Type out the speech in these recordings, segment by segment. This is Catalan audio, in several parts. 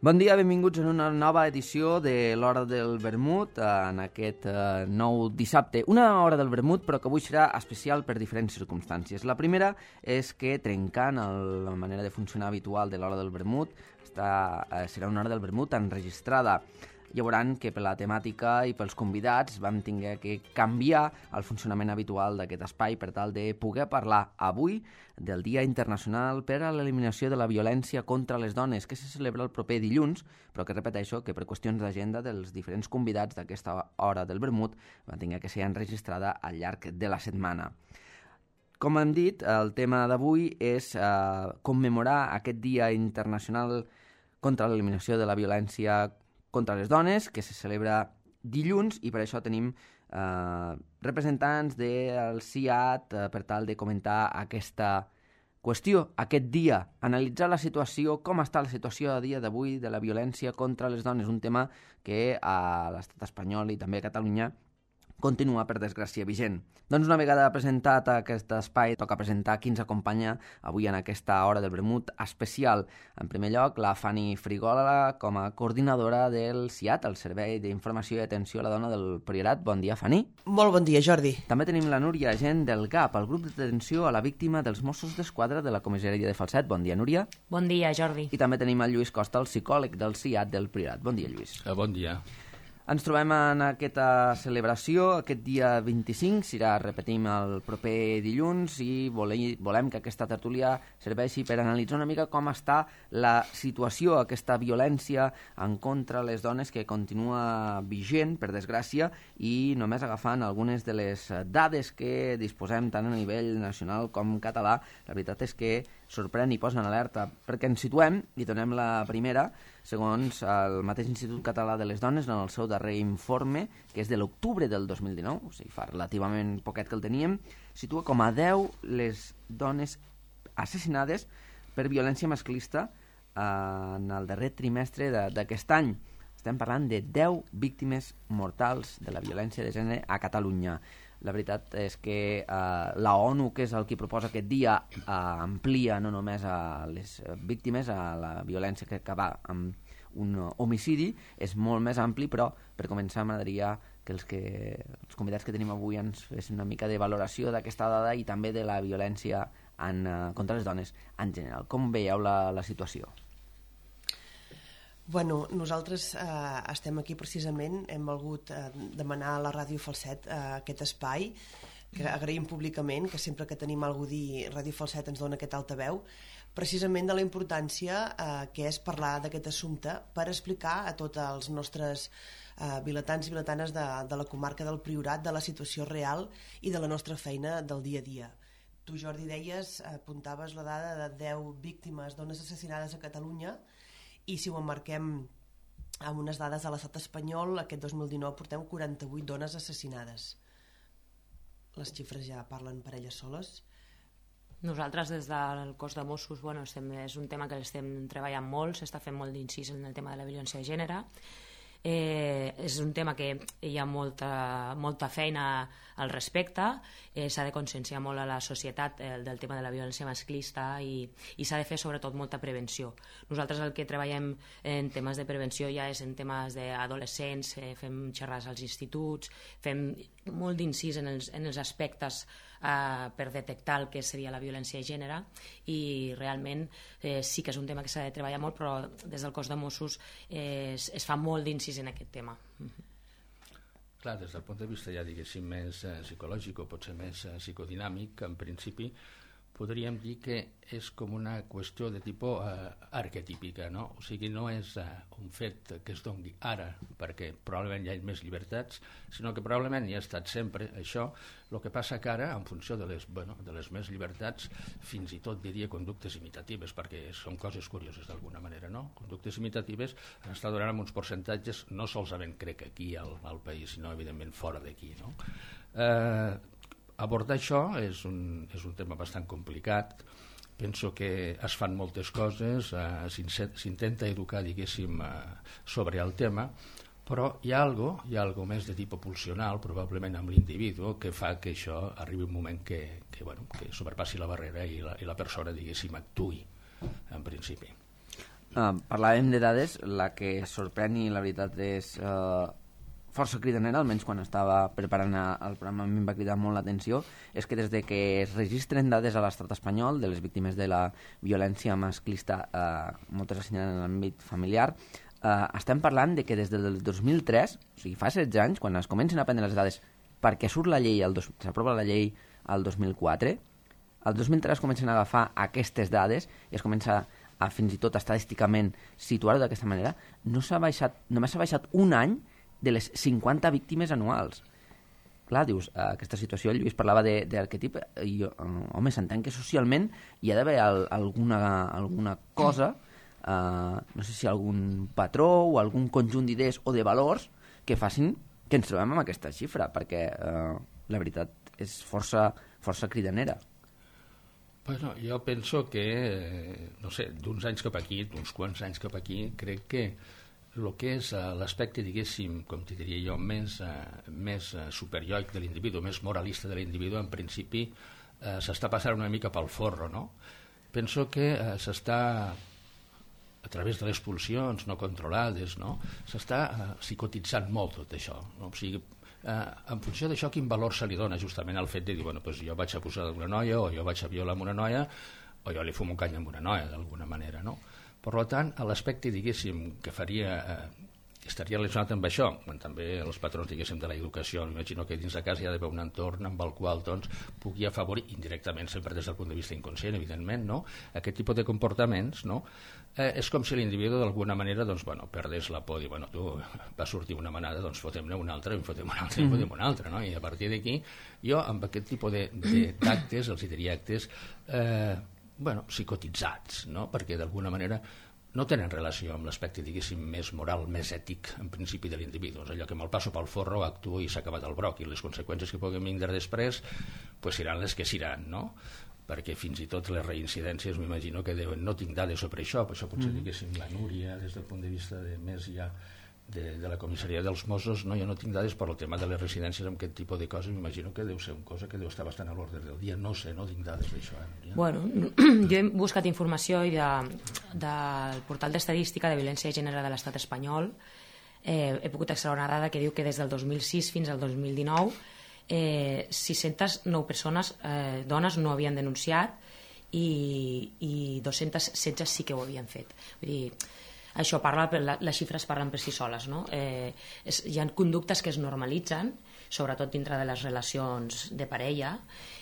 Bon dia, benvinguts en una nova edició de l'Hora del Vermut, en aquest nou dissabte. Una Hora del Vermut, però que avui serà especial per diferents circumstàncies. La primera és que, trencant la manera de funcionar habitual de l'Hora del Vermut, serà una Hora del Vermut enregistrada. Ja veuran que per la temàtica i pels convidats vam haver que canviar el funcionament habitual d'aquest espai per tal de poder parlar avui del Dia Internacional per a l'Eliminació de la Violència contra les Dones, que se celebra el proper dilluns, però que repeteixo que per qüestions d'agenda dels diferents convidats d'aquesta Hora del Vermut va haver que ser enregistrada al llarg de la setmana. Com hem dit, el tema d'avui és commemorar aquest Dia Internacional contra l'Eliminació de la Violència contra les dones, que se celebra dilluns, i per això tenim representants del CIAT per tal de comentar aquesta qüestió, aquest dia, analitzar la situació, com està la situació a dia d'avui de la violència contra les dones, un tema que a l'estat espanyol i també a Catalunya continua, per desgràcia, vigent. Doncs una vegada presentat aquest espai, toca presentar qui ens acompanya avui en aquesta Hora del Vermut especial. En primer lloc, la Fanny Frigola, com a coordinadora del CIAT, el Servei d'Informació i Atenció a la Dona del Priorat. Bon dia, Fanny. Molt bon dia, Jordi. També tenim la Núria Gent del GAP, el grup d'atenció a la víctima dels Mossos d'Esquadra de la comissaria de Falset. Bon dia, Núria. Bon dia, Jordi. I també tenim el Lluís Costa, el psicòleg del CIAT del Priorat. Bon dia, Lluís. Bon dia. Ens trobem en aquesta celebració, aquest dia 25, serà, repetim, el proper dilluns, i volem que aquesta tertúlia serveixi per analitzar una mica com està la situació, aquesta violència en contra les dones que continua vigent, per desgràcia, i només agafant algunes de les dades que disposem tant a nivell nacional com català, la veritat és que sorprèn i posa en alerta, perquè ens situem i donem la primera, segons el mateix Institut Català de les Dones, en el seu darrer informe, que és de l'octubre del 2019, o sigui, fa relativament poquet que el teníem, situa com a 10 les dones assassinades per violència masclista en el darrer trimestre d'aquest any. Estem parlant de 10 víctimes mortals de la violència de gènere a Catalunya. La veritat és que la ONU, que és el qui proposa aquest dia, amplia no només a les víctimes, a la violència que acaba amb un homicidi, és molt més ampli, però per començar m'agradaria que els convidats que tenim avui ens fessin una mica de valoració d'aquesta dada i també de la violència contra les dones en general. Com veieu la situació? Bueno, nosaltres estem aquí precisament, hem volgut demanar a la Ràdio Falset aquest espai, que agraïm públicament, que sempre que tenim alguna cosa a dir, Ràdio Falset ens dona aquest altaveu, precisament de la importància que és parlar d'aquest assumpte per explicar a tots els nostres vilatans i vilatanes de la comarca del Priorat de la situació real i de la nostra feina del dia a dia. Tu, Jordi, deies, apuntaves la dada de 10 víctimes, dones assassinades a Catalunya, i si ho emmarquem amb unes dades de l'estat espanyol, aquest 2019 portem 48 dones assassinades. Les xifres ja parlen per elles soles. Nosaltres des del cos de Mossos, és un tema que l'estem treballant molt, s'està fent molt d'incís en el tema de la violència de gènere. És un tema que hi ha molta feina al respecte, s'ha de conscienciar molt a la societat del tema de la violència masclista i s'ha de fer sobretot molta prevenció. Nosaltres el que treballem en temes de prevenció ja és en temes d'adolescents, fem xerrades als instituts, fem molt d'incís en els aspectes per detectar el que seria la violència de gènere, i realment sí que és un tema que s'ha de treballar molt, però des del cos de Mossos es fa molt d'incís en aquest tema. Clar, des del punt de vista ja diguéssim més psicològic o potser més psicodinàmic, en principi podríem dir que és com una qüestió de tipus arquetípica, no? O sigui, no és un fet que es doni ara perquè probablement hi ha més llibertats, sinó que probablement hi ha estat sempre això. El que passa que ara, en funció de les més llibertats, fins i tot diria conductes imitatives, perquè són coses curioses d'alguna manera, no? Conductes imitatives han estat donant amb uns percentatges no solament crec aquí al país, sinó evidentment fora d'aquí, no? Abordar això és un tema bastant complicat. Penso que es fan moltes coses, s'intenta educar, diguéssim, sobre el tema, però hi ha algo més de tipus pulsional, probablement amb l'individu, que fa que això arribi un moment que sobrepassi la barrera i la persona, diguéssim, actuï, en principi. Parlàvem de dades, la que sorprèn i la veritat és força cridanera, almenys quan estava preparant el programa a mi em va cridar molt l'atenció, és que des de que es registren dades a l'estat espanyol de les víctimes de la violència masclista, moltes assenyalen en l'àmbit familiar, estem parlant de que des del 2003, o sigui, fa 16 anys, quan es comencen a prendre les dades perquè surt la llei, s'aprova la llei al 2004, el 2003 comencen a agafar aquestes dades i es comença a fins i tot estadísticament situar-ho d'aquesta manera, només s'ha baixat un any de les 50 víctimes anuals. Clar, dius, aquesta situació, el Lluís parlava d'arquetip, i home, s'entén que socialment hi ha d'haver alguna cosa, no sé si algun patró o algun conjunt d'idees o de valors que facin que ens trobem amb aquesta xifra, perquè la veritat és força cridanera. Bueno, jo penso que, no sé, d'uns anys cap aquí, d'uns quants anys cap aquí, crec que el que és l'aspecte, diguéssim, com t'hi diria jo, més superioic de l'individu, més moralista de l'individu, en principi s'està passant una mica pel forro, no? Penso que s'està, a través de les pulsions no controlades, no? S'està psicotitzant molt tot això, no? O sigui, en funció d'això, quin valor se li dona justament al fet de dir, bueno, doncs jo vaig a posar una noia, o jo vaig a violar amb una noia, o jo li fumo un cany amb una noia, d'alguna manera, no? Per tant, l'aspecte, diguéssim, que estaria relacionat amb això, quan també els patrons, diguéssim, de l'educació, m'imagino que dins de casa hi ha d'haver un entorn amb el qual doncs, pugui afavorir, indirectament, sempre des del punt de vista inconscient, evidentment, no? Aquest tipus de comportaments, no? És com si l'individu d'alguna manera doncs, bueno, perdés la por, dir, bueno, tu va sortir una manada, doncs fotem-ne una altra, en fotem una altra, en fotem una altra, no? I a partir d'aquí, jo amb aquest tipus d'actes, els diria actes, bueno, psicotitzats, no? Perquè d'alguna manera no tenen relació amb l'aspecte, diguéssim, més moral, més ètic, en principi, de l'individu. És allò que me'l passo pel forro, actuo i s'ha acabat el broc, i les conseqüències que puguin vindre després pues, seran les que seran, no? Perquè fins i tot les reincidències m'imagino que deuen, no tinc dades sobre això, per això potser diguéssim la Núria, des del punt de vista de més ja de la comissaria dels Mossos, no, jo no tinc dades per el tema de les residències amb aquest tipus de coses, m'imagino que deu ser una cosa que deu estar bastant a l'ordre del dia, no sé, no tinc dades d'això. Bueno, jo he buscat informació i del portal d'estadística de violència de gènere de l'estat espanyol, he pogut extraure una dada que diu que des del 2006 fins al 2019 609 persones, dones, no havien denunciat i 216 sí que ho havien fet. Vull dir, això les xifres parlen per si soles, no? Hi ha conductes que es normalitzen, sobretot dintre de les relacions de parella,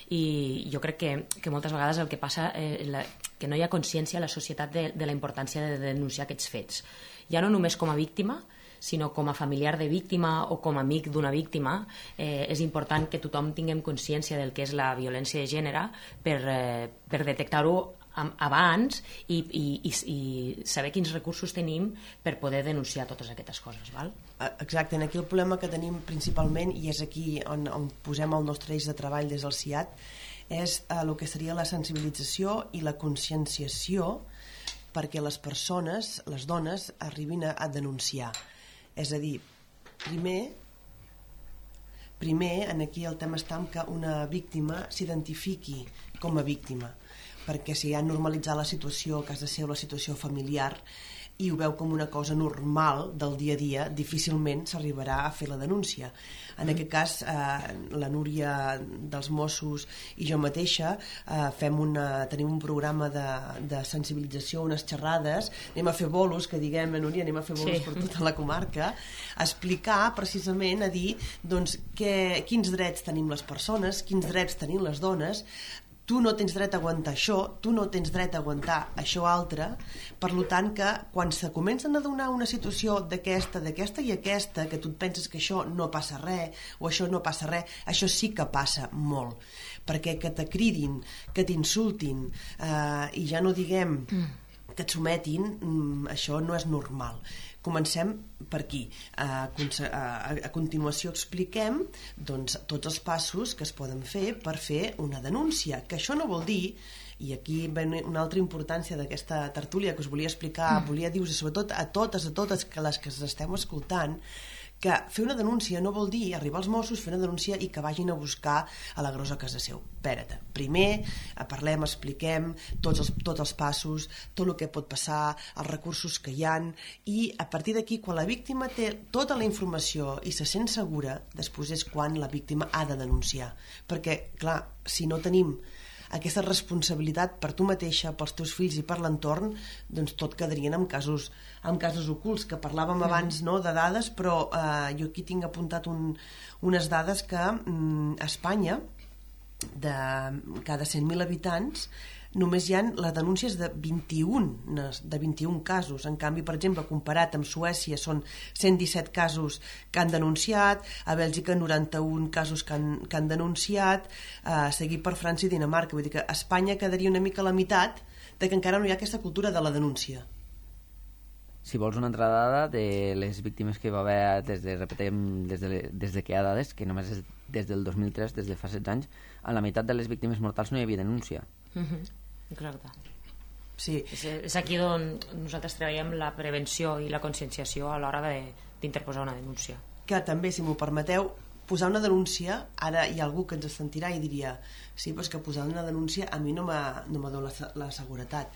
i jo crec que moltes vegades el que passa que no hi ha consciència a la societat de la importància de denunciar aquests fets, ja no només com a víctima, sinó com a familiar de víctima o com a amic d'una víctima. És important que tothom tinguem consciència del que és la violència de gènere per detectar-ho abans i saber quins recursos tenim per poder denunciar totes aquestes coses, val? Exacte, aquí el problema que tenim principalment, i és aquí on posem el nostre eix de treball des del CIAT, és el que seria la sensibilització i la conscienciació perquè les persones, les dones, arribin a denunciar. És a dir, primer aquí el tema està en que una víctima s'identifiqui com a víctima, perquè si ha normalitzat la situació, que has de ser la situació familiar, i ho veu com una cosa normal del dia a dia, difícilment s'arribarà a fer la denúncia. En aquest cas, la Núria dels Mossos i jo mateixa tenim un programa de sensibilització, unes xerrades, anem a fer bolos, que diguem, Núria, anem a fer bolos per tota la comarca, a explicar precisament, a dir doncs, quins drets tenim les persones, quins drets tenim les dones. Tu no tens dret a aguantar això, tu no tens dret a aguantar això altre, per tant que quan se comencen a donar una situació d'aquesta i aquesta, que tu et penses que això no passa res, o això no passa res, això sí que passa molt, perquè que te cridin, que t'insultin, i ja no diguem que et sometin, això no és normal. Comencem per aquí. A continuació expliquem doncs, tots els passos que es poden fer per fer una denúncia, que això no vol dir, i aquí ve una altra importància d'aquesta tertúlia que us volia explicar, volia dir-vos sobretot a totes que les que esteu escoltant, que fer una denúncia no vol dir arribar als Mossos, fer una denúncia i que vagin a buscar a l'agressor a casa seu. Espera't, primer parlem, expliquem tots els passos, tot el que pot passar, els recursos que hi han, i a partir d'aquí, quan la víctima té tota la informació i se sent segura, després és quan la víctima ha de denunciar. Perquè, clar, si no tenim aquesta responsabilitat per tu mateixa, pels teus fills i per l'entorn, doncs tot quedarien en casos ocults, que parlàvem abans, no, de dades, però jo aquí tinc apuntat unes dades que a Espanya, de cada 100.000 habitants, només hi ha les denúncies de 21 casos. En canvi, per exemple, comparat amb Suècia, són 117 casos que han denunciat, a Bèlgica 91 casos que han denunciat, seguit per França i Dinamarca. Vull dir que a Espanya quedaria una mica a la meitat de que encara no hi ha aquesta cultura de la denúncia. Si vols una altra dada de les víctimes que hi va haver des de que hi ha dades, que només és des del 2003, des de fa 16 anys, a la meitat de les víctimes mortals no hi havia denúncia. Exacte. Sí. És aquí on nosaltres treballem la prevenció i la conscienciació a l'hora d'interposar una denúncia. Que també, si m'ho permeteu, posar una denúncia, ara hi ha algú que ens sentirà i diria sí, però és que posar una denúncia a mi no me dona la seguretat.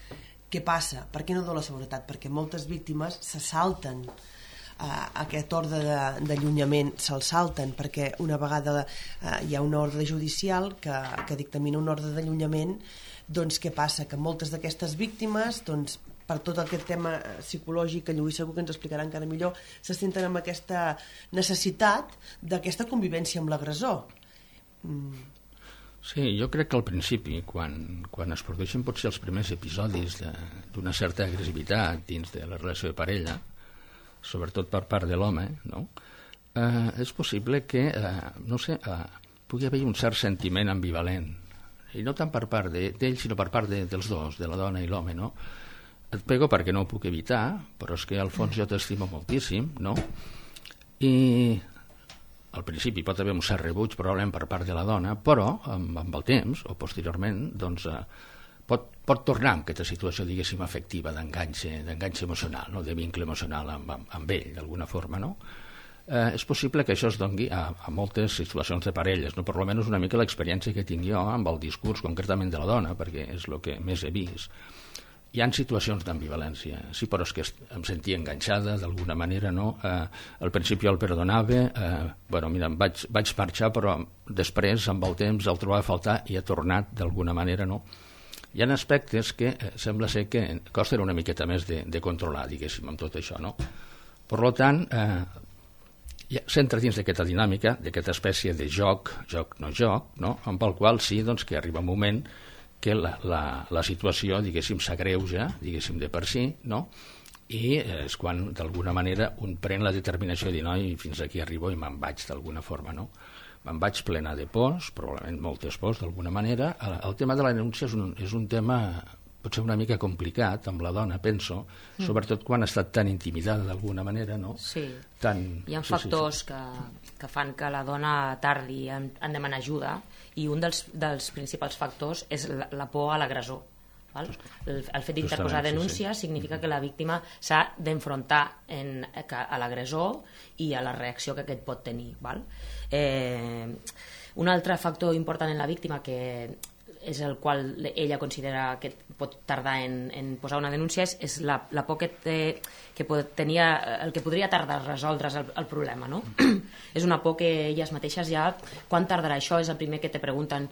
Què passa? Per què no dona la seguretat? Perquè moltes víctimes se salten aquest ordre d'allunyament, se'l salten, perquè una vegada hi ha una ordre judicial que dictamina un ordre d'allunyament. Doncs què passa? Que moltes d'aquestes víctimes, doncs, per tot aquest tema psicològic, que Lluís segur que ens explicarà encara millor, se senten amb aquesta necessitat d'aquesta convivència amb l'agressor. Sí, jo crec que al principi, quan es produeixen potser els primers episodis d'una certa agressivitat dins de la relació de parella, sobretot per part de l'home, no? És possible que, pugui haver un cert sentiment ambivalent, i no tant per part d'ell, sinó per part dels dos, de la dona i l'home, no? Et pego perquè no ho puc evitar, però és que al fons jo t'estimo moltíssim, no? I al principi pot haver un cert rebuig probablement per part de la dona, però amb el temps, o posteriorment, doncs pot tornar en aquesta situació, diguéssim, afectiva, d'enganxe emocional, no? De vincle emocional amb ell, d'alguna forma, no? És possible que això es doni a moltes situacions de parelles, no? Per almenys una mica l'experiència que tinc jo amb el discurs concretament de la dona, perquè és el que més he vist. Hi ha situacions d'ambivalència, sí, però és que em sentia enganxada d'alguna manera, no? Al principi el perdonava, mira, vaig marxar, però després, amb el temps, el trobava a faltar i ha tornat d'alguna manera, no? Hi ha aspectes que sembla ser que costen una miqueta més de controlar, diguéssim, amb tot això, no? Per tant, s'entra dins d'aquesta dinàmica, d'aquesta espècie de joc, no? Amb el qual sí, doncs, que arriba un moment que la situació, diguéssim, s'agreuja, diguéssim, de per si, no? I és quan, d'alguna manera, un pren la determinació de dir, noi, fins aquí arribo i me'n vaig, d'alguna forma, no? Me'n vaig plena de pors, probablement moltes pors, d'alguna manera. El tema de la denúncia és un tema potser una mica complicat amb la dona, penso, sobretot quan ha estat tan intimidada d'alguna manera, no? Sí, hi ha factors que fan que la dona tardi en demanar ajuda, i un dels principals factors és la por a l'agressor. El fet d'interposar denúncia significa que la víctima s'ha d'enfrontar a l'agressor i a la reacció que aquest pot tenir. Un altre factor important en la víctima, que és el qual ella considera que pot tardar en posar una denúncia, és la por que tenia, el que podria tardar a resoldre's el problema, no? És una por que elles mateixes ja, quan tardarà això, és el primer que te pregunten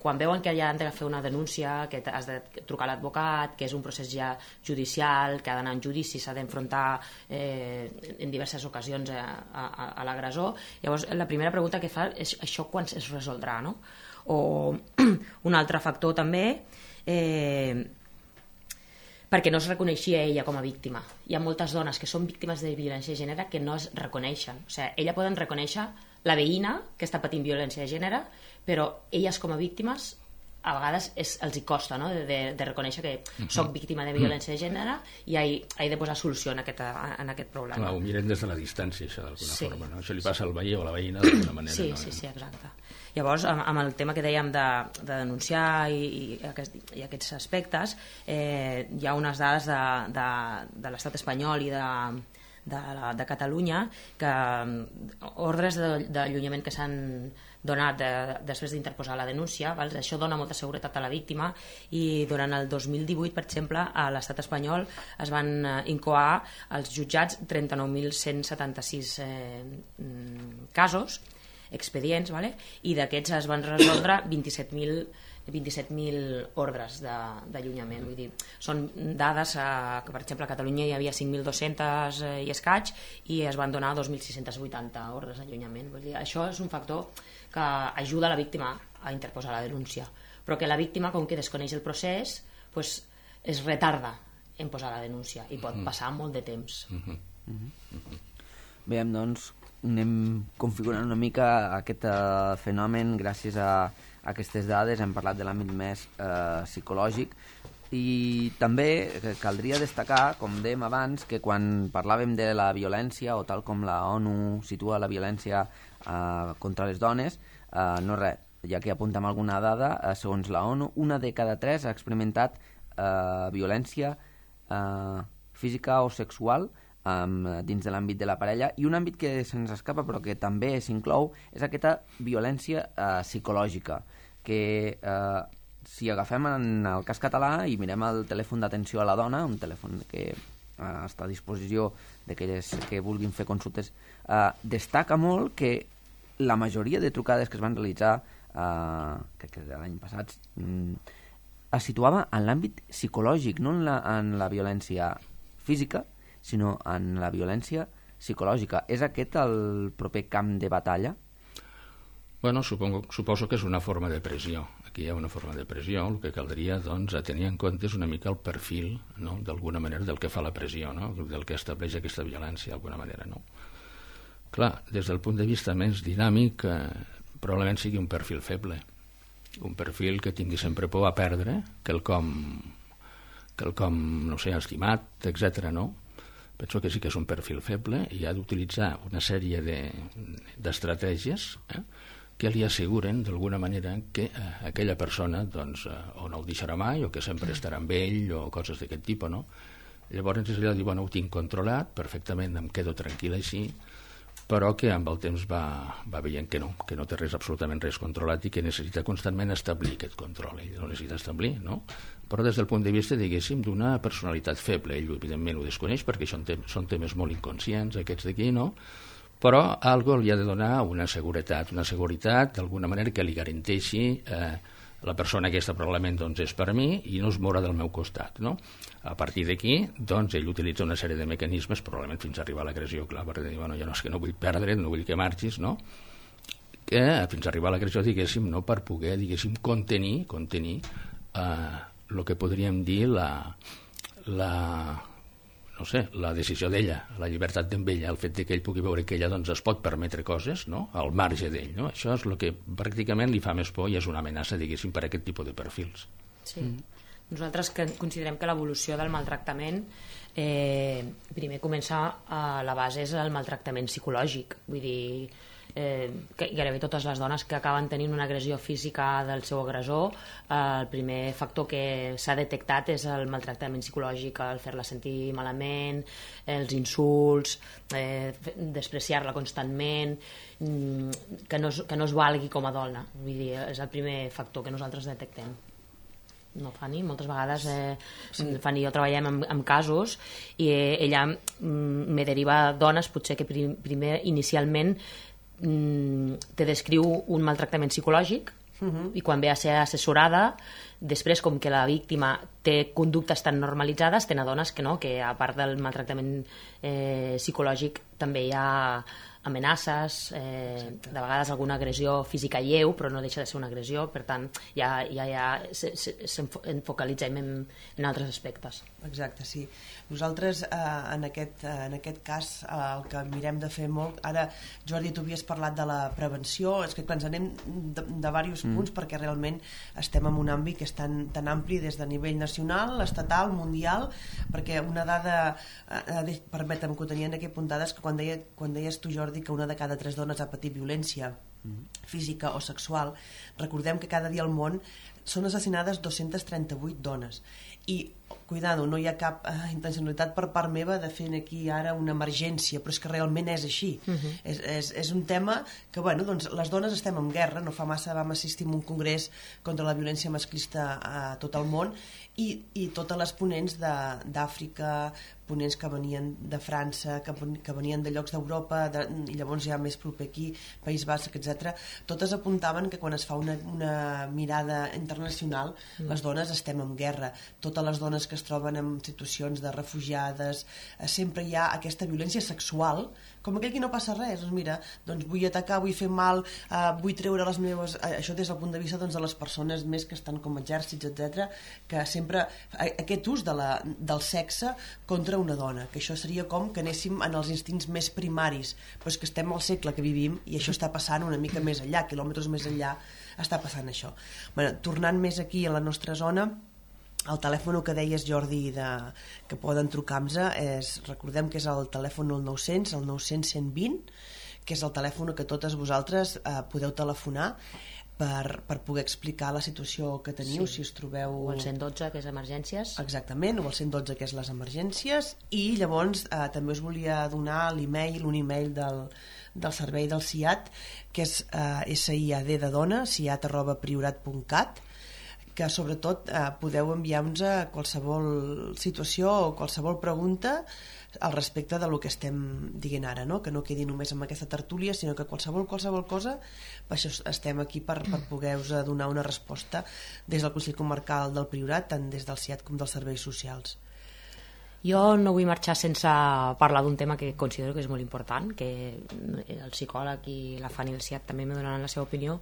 quan veuen que ja han de fer una denúncia, que has de trucar a l'advocat, que és un procés ja judicial, que ha d'anar en judici, s'ha d'enfrontar en diverses ocasions a l'agressor. Llavors la primera pregunta que fa és això quan es resoldrà, no? O un altre factor també, perquè no es reconeixia ella com a víctima. Hi ha moltes dones que són víctimes de violència de gènere que no es reconeixen. O sigui, ella poden reconèixer la veïna que està patint violència de gènere, però elles com a víctimes a vegades els hi costa, no? de reconèixer que soc víctima de violència de gènere i he de posar solució en aquest problema. Clar, ho mirem des de la distància, això, d'alguna forma, no? Això li passa al veí o a la veïna d'alguna manera. Sí, no? Sí, exacte. Llavors, amb el tema que dèiem de denunciar i aquests aspectes, hi ha unes dades de l'estat espanyol i de Catalunya, que ordres d'allunyament que s'han donat després d'interposar la denúncia, això dona molta seguretat a la víctima, i durant el 2018, per exemple, a l'estat espanyol es van incoar als jutjats 39.176 casos, expedients, i d'aquests es van resoldre 27.000 ordres d'allunyament. Vull dir, són dades que, per exemple, a Catalunya hi havia 5.200 i escaig i es van donar 2.680 ordres d'allunyament. Vull dir, això és un factor que ajuda la víctima a interposar la denúncia, però que la víctima, com que desconeix el procés, es retarda en posar la denúncia i pot passar molt de temps. Bé, doncs anem configurant una mica aquest fenomen gràcies a aquestes dades. Hem parlat de l'àmbit més psicològic, i també caldria destacar, com dèiem abans, que quan parlàvem de la violència, o tal com la ONU situa la violència contra les dones, no res, ja que apuntem alguna dada, segons la ONU, 1 de cada 3 ha experimentat violència física o sexual dins de l'àmbit de la parella, i un àmbit que se'ns escapa però que també s'inclou és aquesta violència psicològica, que si agafem en el cas català i mirem el telèfon d'atenció a la dona, un telèfon que està a disposició d'aquelles que vulguin fer consultes, destaca molt que la majoria de trucades que es van realitzar, crec que l'any passat, es situava en l'àmbit psicològic, no en la violència física, sinó en la violència psicològica. És aquest el proper camp de batalla? Bueno, suposo que és una forma de pressió. Aquí hi ha una forma de pressió. El que caldria, doncs, a tenir en compte és una mica el perfil, no?, d'alguna manera, del que fa la pressió, no?, del que estableix aquesta violència, d'alguna manera, no? Clar, des del punt de vista més dinàmic, probablement sigui un perfil feble, un perfil que tingui sempre por a perdre, quelcom, no sé, estimat, etc. no? Penso que sí que és un perfil feble i ha d'utilitzar una sèrie d'estratègies que li asseguren d'alguna manera que aquella persona doncs, o no el deixarà mai o que sempre estarà amb ell o coses d'aquest tipus, no? Llavors ella diu, bueno, ho tinc controlat perfectament, em quedo tranquil així, però que amb el temps va veient que no té absolutament res controlat i que necessita constantment establir aquest control. Ell no necessita establir, no? Però des del punt de vista, diguéssim, d'una personalitat feble. Ell, evidentment, ho desconeix perquè són temes molt inconscients, aquests d'aquí, no? Però algo li ha de donar una seguretat d'alguna manera que li garanteixi la persona aquesta probablement doncs, és per mi i no es mourà del meu costat, no? A partir d'aquí, doncs, ell utilitza una sèrie de mecanismes, probablement fins a arribar a l'agressió, clar, perquè diu, bueno, ja no és que no vull perdre, no vull que marxis, no? Que fins a arribar a l'agressió, diguéssim, no, per poder, diguéssim, contenir el que podríem dir no sé, la decisió d'ella, la llibertat d'ella, el fet que ell pugui veure que ella doncs, es pot permetre coses, no?, al marge d'ell, no? Això és el que pràcticament li fa més por i és una amenaça, diguéssim, per a aquest tipus de perfils. Sí. Nosaltres considerem que l'evolució del maltractament primer comença a la base és el maltractament psicològic, vull dir, que gairebé totes les dones que acaben tenint una agressió física del seu agressor, el primer factor que s'ha detectat és el maltractament psicològic, el fer-la sentir malament, els insults, despreciar-la constantment, que no es valgui com a dona. Vull dir, és el primer factor que nosaltres detectem. No, Fanny, moltes vegades Fanny i jo treballem en casos i ella me deriva dones potser que primer inicialment te descriu un maltractament psicològic i quan ve a ser assessorada després, com que la víctima té conductes tan normalitzades, te n'adones que no, que a part del maltractament psicològic també hi ha amenaces, de vegades alguna agressió física lleu, però no deixa de ser una agressió, per tant ja s'enfocalitzem en altres aspectes. Exacte, sí. Nosaltres en aquest cas el que mirem de fer molt, ara Jordi, tu havies parlat de la prevenció, és que clar, ens anem de diversos punts perquè realment estem en un àmbit que és tan ampli des de nivell nacional, estatal, mundial, perquè una dada, permetem que ho tenien aquí apuntades, que quan deies tu, Jordi, que una de cada 3 dones ha patit violència física o sexual, recordem que cada dia al món són assassinades 238 dones i cuidado, no hi ha cap intencionalitat per part meva de fer aquí ara una emergència, però és que realment és així. És un tema que, bueno, doncs les dones estem en guerra, no fa massa vam assistir a un congrés contra la violència masclista a tot el món i totes les ponents d'Àfrica, ponents que venien de França, que venien de llocs d'Europa, i llavors ja més proper aquí, País Basc, etc. Totes apuntaven que quan es fa una mirada internacional, les dones estem en guerra. Totes les dones que es troben en situacions de refugiades, sempre hi ha aquesta violència sexual, com aquell que no passa res, doncs mira, doncs vull atacar, vull fer mal, vull treure les meves... Això des del punt de vista doncs, de les persones més que estan com exèrcits, etc, que sempre aquest ús del sexe contra una dona, que això seria com que anéssim en els instints més primaris, però és que estem al segle que vivim i això està passant una mica més enllà, quilòmetres més enllà està passant això. Bueno, tornant més aquí a la nostra zona, el telèfon que deies, Jordi, que poden trucar-nos, recordem que és el telèfon 900, el 900-120, que és el telèfon que totes vosaltres podeu telefonar per poder explicar la situació que teniu, si us trobeu... O el 112, que és emergències. Exactament, o el 112, que és les emergències, i llavors també us volia donar l'email, un email del servei del SIAD, que és SIAD de dona, siat@priorat.cat, que sobretot podeu enviar-nos a qualsevol situació o qualsevol pregunta al respecte del que estem dient ara, no? Que no quedi només amb aquesta tertúlia, sinó que qualsevol cosa, per això estem aquí per poder-vos donar una resposta des del Consell Comarcal del Priorat, tant des del SIAD com dels serveis socials. Jo no vull marxar sense parlar d'un tema que considero que és molt important, que el psicòleg i la Fanny del SIAD també me donaran la seva opinió,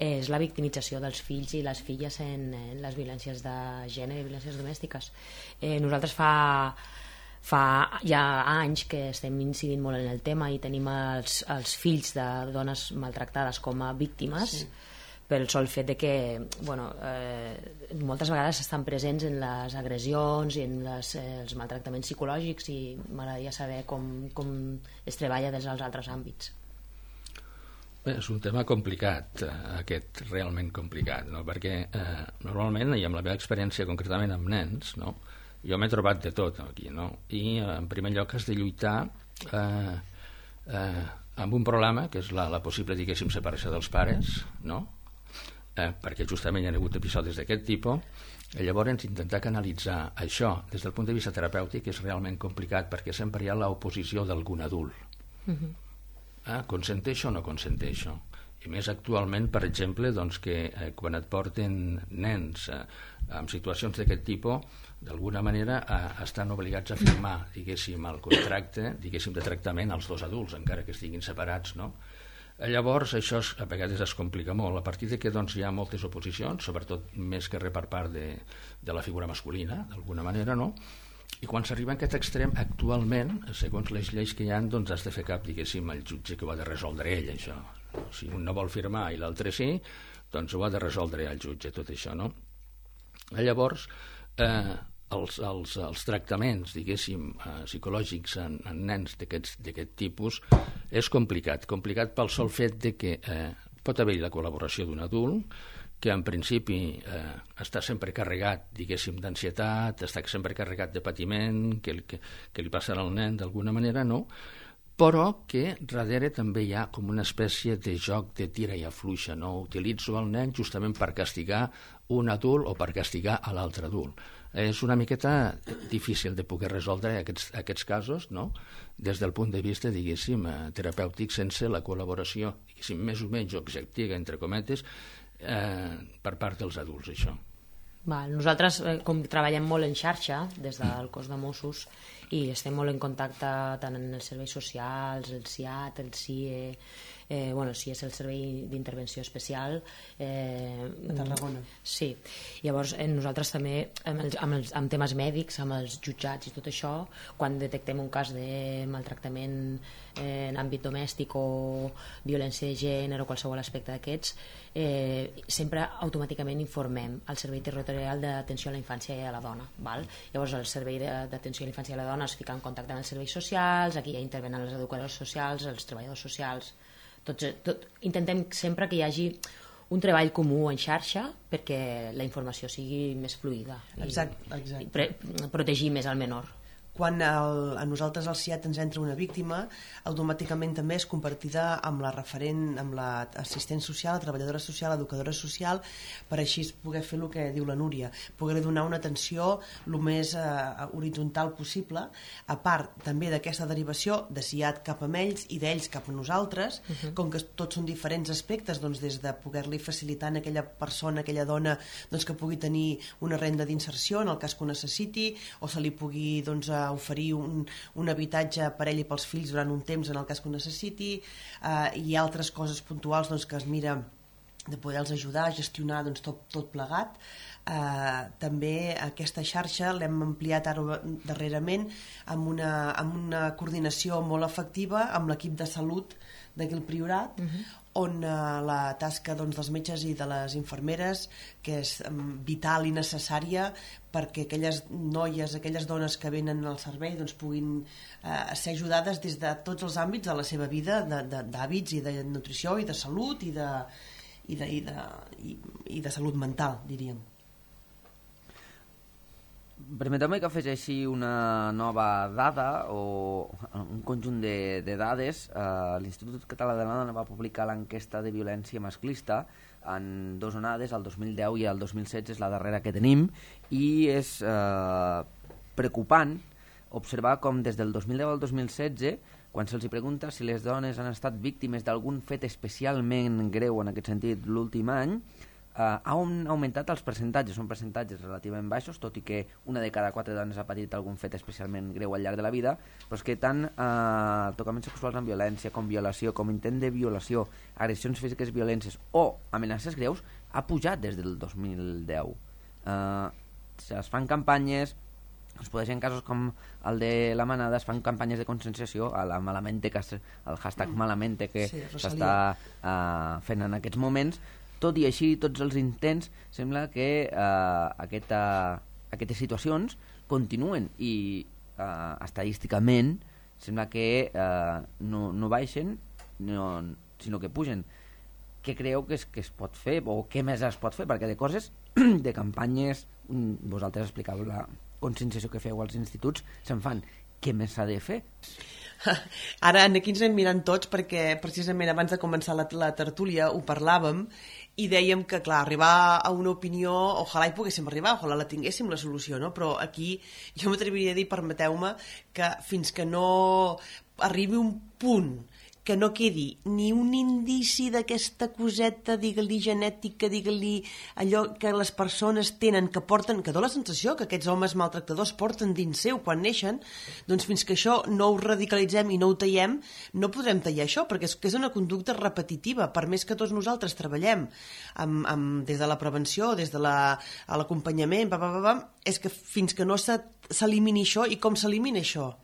és la victimització dels fills i les filles en les violències de gènere i violències domèstiques. Nosaltres fa ja anys que estem incidint molt en el tema i tenim els fills de dones maltractades com a víctimes, sí, pel sol fet de que moltes vegades estan presents en les agressions i en els maltractaments psicològics, i m'agradaria saber com es treballa des dels altres àmbits. Bé, és un tema complicat, aquest, realment complicat, no? Perquè normalment, i amb la meva experiència concretament amb nens, no? Jo m'he trobat de tot aquí, no? I en primer lloc has de lluitar amb un problema, que és la possible, diguéssim, separació dels pares, no? Perquè justament hi ha hagut episodis d'aquest tipus, i llavors intentar canalitzar això des del punt de vista terapèutic és realment complicat, perquè sempre hi ha l'oposició d'algun adult. Consenteixo o no consenteixo? I més actualment, per exemple, doncs que quan et porten nens en situacions d'aquest tipus, d'alguna manera estan obligats a firmar, diguéssim, el contracte, diguéssim, de tractament als dos adults, encara que estiguin separats, no? Llavors això a vegades es complica molt, a partir de que doncs, hi ha moltes oposicions, sobretot més que res per part de la figura masculina, d'alguna manera, no? I quan s'arriba a aquest extrem, actualment, segons les lleis que hi ha, doncs has de fer cap, diguéssim, el jutge que ho ha de resoldre ell, això. Si un no vol firmar i l'altre sí, doncs ho ha de resoldre el jutge, tot això, no? Llavors, els tractaments, diguéssim, psicològics en nens d'aquest tipus és complicat pel sol fet de que pot haver-hi la col·laboració d'un adult que en principi està sempre carregat, diguéssim, d'ansietat, està sempre carregat de patiment, que li passarà al nen d'alguna manera, no? Però que darrere també hi ha com una espècie de joc de tira i afluixa, no? Utilitzo el nen justament per castigar un adult o per castigar a l'altre adult. És una miqueta difícil de poder resoldre aquests casos, no? Des del punt de vista, diguéssim, terapèutic, sense la col·laboració, diguéssim, més o menys objectiva, entre cometes, per part dels adults, això. Nosaltres com treballem molt en xarxa des del cos de Mossos i estem molt en contacte tant en els serveis socials, el SIAT, el CIE, el CIE és el Servei d'Intervenció Especial de Tarragona. Sí, llavors nosaltres també amb temes mèdics, amb els jutjats i tot això, quan detectem un cas de maltractament en àmbit domèstic o violència de gènere o qualsevol aspecte d'aquests, sempre automàticament informem al Servei Territorial d'Atenció a la Infància i a la Dona, val? Llavors el Servei d'Atenció a la Infància i a la Dona es fica en contacte amb els serveis socials, aquí ja intervenen els educadors socials, els treballadors socials, intentem sempre que hi hagi un treball comú en xarxa perquè la informació sigui més fluida Exacte. i protegir més al menor. Quan a nosaltres al CIAT ens entra una víctima, automàticament també és compartida amb la referent, amb l'assistent social, la treballadora social, l'educadora social, per així poder fer el que diu la Núria, poder donar una atenció el més horitzontal possible, a part també d'aquesta derivació de CIAT cap a ells i d'ells cap a nosaltres, com que tots són diferents aspectes, doncs des de poder-li facilitar a aquella persona, a aquella dona, doncs que pugui tenir una renda d'inserció en el cas que ho necessiti, o se li pugui oferir un habitatge per ell i pels fills durant un temps en el cas que ho necessiti, i altres coses puntuals doncs, que es mira de poder-los ajudar a gestionar doncs, tot plegat. També aquesta xarxa l'hem ampliat ara darrerament amb una coordinació molt efectiva amb l'equip de salut d'aquell Priorat, on la tasca dels metges i de les infermeres, que és vital i necessària perquè aquelles noies, aquelles dones que venen al servei puguin ser ajudades des de tots els àmbits de la seva vida, d'hàbits i de nutrició i de salut i de salut mental, diríem. Permeteu-me que afegeixi una nova dada o un conjunt de dades. L'Institut Català de la Dona va publicar l'enquesta de violència masclista en 2 onades, el 2010 i el 2016, és la darrera que tenim, i és preocupant observar com des del 2010 al 2016, quan se'ls pregunta si les dones han estat víctimes d'algun fet especialment greu en aquest sentit l'últim any, han augmentat els percentatges, són percentatges relativament baixos, tot i que una de cada 4 dones ha patit algun fet especialment greu al llarg de la vida, però és que tant tocaments sexuals amb violència, com violació, com intent de violació, agressions físiques violentes o amenaces greus, ha pujat des del 2010. Es fan campanyes, es podeixen casos com el de la Manada, es fan campanyes de conscienciació, a la Malamente, el hashtag Malamente que s'està fent en aquests moments. Tot i així, tots els intents, sembla que aquestes situacions continuen i estadísticament sembla que no baixen, sinó que pugen. Què creieu que es pot fer o què més es pot fer? Perquè de coses, de campanyes, vosaltres explicàveu la conscienciació que feu als instituts, se'n fan. Què més s'ha de fer? Ara aquí ens anem mirant tots perquè precisament abans de començar la tertúlia ho parlàvem i dèiem que, clar, arribar a una opinió, ojalà hi poguéssim arribar, ojalà la tinguéssim la solució, no? Però aquí jo m'atreviria a dir, permeteu-me, que fins que no arribi un punt que no quedi ni un indici d'aquesta coseta, digue-li genètica, digue-li allò que les persones tenen, que porten, que dona la sensació que aquests homes maltractadors porten dins seu quan neixen, doncs fins que això no ho radicalitzem i no ho tallem, no podrem tallar això, perquè és una conducta repetitiva, per més que tots nosaltres treballem des de la prevenció, des de l'acompanyament, és que fins que no s'elimini això, i com s'elimina això?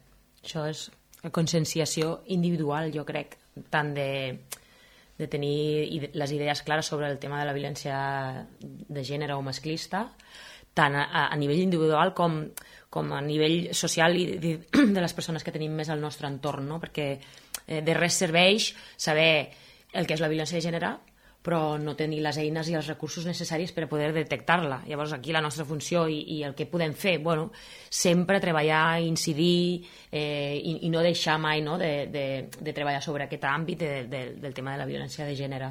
Això és conscienciació individual, jo crec, tant de tenir les idees clares sobre el tema de la violència de gènere o masclista, tant a nivell individual com a nivell social i de les persones que tenim més al nostre entorn, no? Perquè de res serveix saber el que és la violència de gènere però no tenir les eines i els recursos necessaris per a poder detectar-la. Llavors, aquí la nostra funció i el que podem fer, bueno, sempre treballar, incidir i no deixar mai de treballar sobre aquest àmbit del tema de la violència de gènere.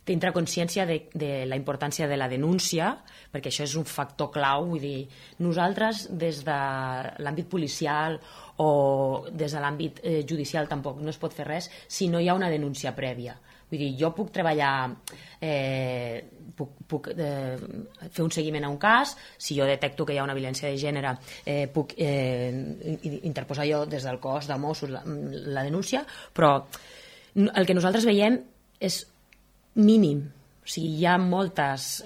Tindre consciència de la importància de la denúncia, perquè això és un factor clau. Vull dir, nosaltres, des de l'àmbit policial o des de l'àmbit judicial, tampoc no es pot fer res si no hi ha una denúncia prèvia. Vull dir, jo puc treballar, puc fer un seguiment a un cas, si jo detecto que hi ha una violència de gènere, puc interposar jo des del cos de Mossos la denúncia, però el que nosaltres veiem és mínim. O sigui, hi ha moltes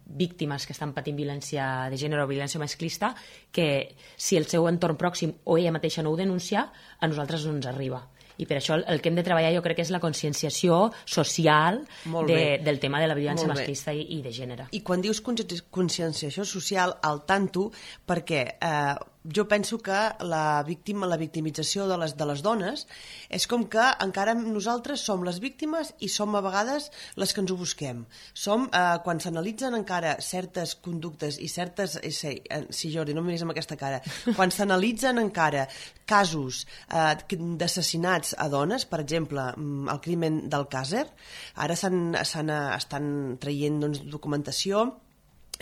víctimes que estan patint violència de gènere o violència masclista que si el seu entorn pròxim o ella mateixa no ho denuncia, a nosaltres no ens arriba. I per això el que hem de treballar jo crec que és la conscienciació social del tema de la violència masclista i de gènere. I quan dius conscienciació social, al tanto, perquè jo penso que la victimització de les dones és com que encara nosaltres som les víctimes i som a vegades les que ens ho busquem. Som, quan s'analitzen encara certes conductes i certes... Sí, Jordi, no em miris amb aquesta cara. Quan s'analitzen encara casos d'assassinats a dones, per exemple, el crimen d'Alcàsser, ara estan traient documentació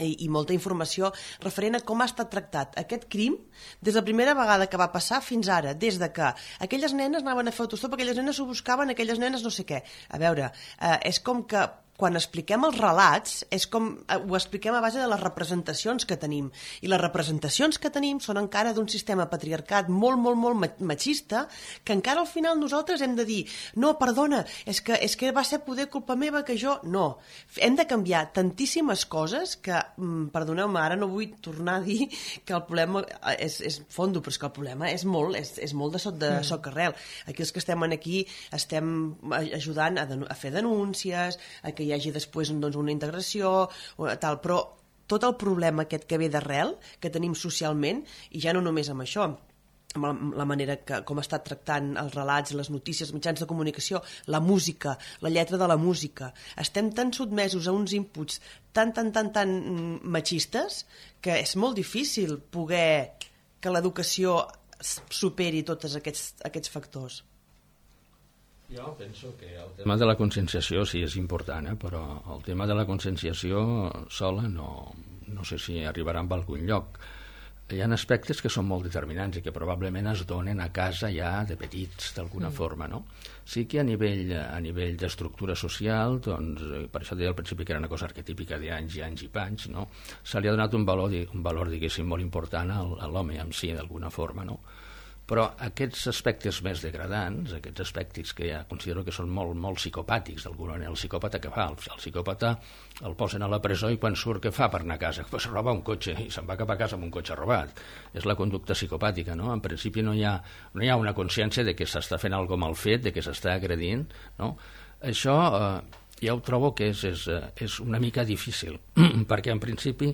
i molta informació referent a com ha estat tractat aquest crim des de la primera vegada que va passar fins ara, des de que aquelles nenes anaven a fer autostop, aquelles nenes ho buscaven, aquelles nenes no sé què. A veure, és com que quan expliquem els relats, és com ho expliquem a base de les representacions que tenim. I les representacions que tenim són encara d'un sistema patriarcat molt, molt, molt machista, que encara al final nosaltres hem de dir no, perdona, és que va ser poder culpa meva que jo... No. Hem de canviar tantíssimes coses que, perdoneu-me, ara no vull tornar a dir que el problema és fondo, però és que el problema és molt de socarrel. Aquí els que estem aquí estem ajudant a fer denúncies, a que hi hagi després una integració, tal, però tot el problema aquest que ve d'arrel, que tenim socialment, i ja no només amb això, amb la manera com està tractant els relats, les notícies, els mitjans de comunicació, la música, la lletra de la música. Estem tan sotmesos a uns inputs tan machistes que és molt difícil poder que l'educació superi tots aquests factors. Jo penso que el tema de la conscienciació sí és important, però el tema de la conscienciació sola no sé si arribarà a algun lloc. Hi ha aspectes que són molt determinants i que probablement es donen a casa ja de petits, d'alguna forma, no? Sí que a nivell d'estructura social, doncs, per això deia al principi que era una cosa arquetípica d'anys i anys i panys, no? Se li ha donat un valor diguéssim, molt important a l'home en si, d'alguna forma, no? Però aquests aspectes més degradants, aquests aspectes que ja considero que són molt, molt psicopàtics d'alguna manera, el psicòpata què fa? El psicòpata el posen a la presó i quan surt què fa per anar a casa? Pues roba un cotxe i se'n va cap a casa amb un cotxe robat. És la conducta psicopàtica, no? En principi no hi ha una consciència de que s'està fent alguna mal fet, de que s'està agredint, no? Això ja ho trobo que és una mica difícil, perquè en principi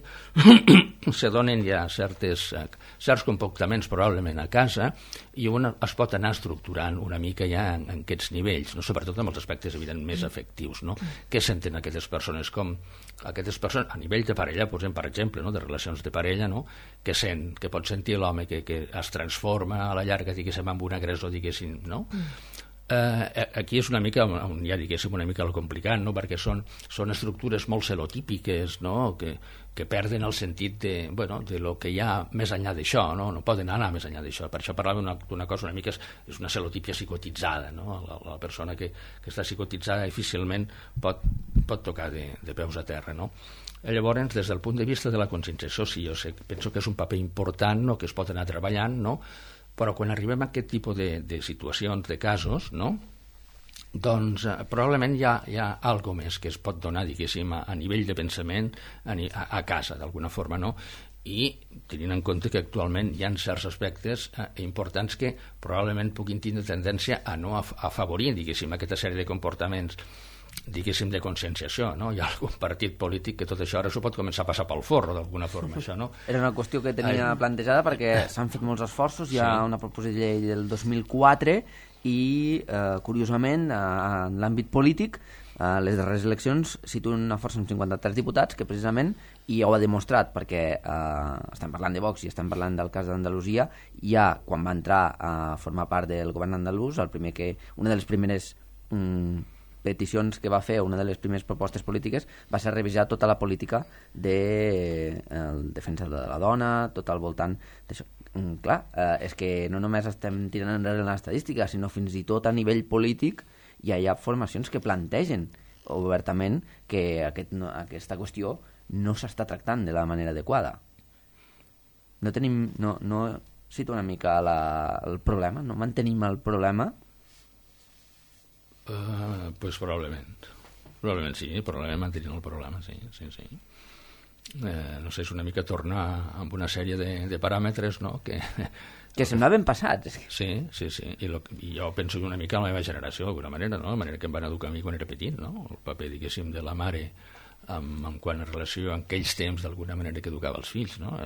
se donen ja certs comportaments probablement a casa i un es pot anar estructurant una mica ja en aquests nivells, no? Sobretot amb els aspectes evident més afectius, no? Què senten aquestes persones? Com aquestes persones a nivell de parella, posem per exemple, no? De relacions de parella, no? Que pot sentir l'home que es transforma a la llarga, diguéssim, amb un agressor, diguéssim, no? Aquí és una mica, ja diguéssim, una mica el complicat, no? Perquè són estructures molt celotípiques, no? Que perden el sentit de lo que hi ha més enllà d'això, no? No poden anar més enllà d'això. Per això parlava d'una cosa una mica, és una celotípia psicotitzada, no? La persona que està psicotitzada difícilment pot tocar de peus a terra, no? Llavors, des del punt de vista de la conscienciació, sí, penso que és un paper important, no? Que es pot anar treballant, no? Però quan arribem a aquest tipus de situacions, de casos, no? Doncs probablement hi ha alguna més que es pot donar, diguéssim, a nivell de pensament a casa, d'alguna forma, no? I tenint en compte que actualment hi ha certs aspectes importants que probablement puguin tindre tendència a no afavorir, diguéssim, aquesta sèrie de comportaments, diguéssim, de conscienciació, no? Hi ha algun partit polític que tot això ara s'ho pot començar a passar pel forro, d'alguna forma, això, no? Era una qüestió que tenia plantejada perquè s'han fet molts esforços, hi ha una proposició de llei del 2004 i, curiosament, en l'àmbit polític, les darreres eleccions situen una força amb 53 diputats que precisament, i ho ha demostrat perquè estem parlant de Vox i estem parlant del cas d'Andalusia, ja quan va entrar a formar part del govern andalús, una de les primeres peticions que va fer, una de les primeres propostes polítiques va ser revisar tota la política de defensa de la dona, tot al voltant d'això. Clar, és que no només estem tirant enrere l'estadística, sinó fins i tot a nivell polític ja hi ha formacions que plantegen obertament que aquesta qüestió no s'està tractant de la manera adequada. No cito una mica el problema, no mantenim el problema. Pues probablement sí, probablement mantenint el problema, sí. No sé, és una mica tornar amb una sèrie de paràmetres, no? Que semblaven passats. Sí, i jo penso una mica en la meva generació, d'alguna manera, no? La manera que em van educar a mi quan era petit, no? El paper, diguéssim, de la mare en quant a relació amb aquells temps d'alguna manera que educava els fills, no?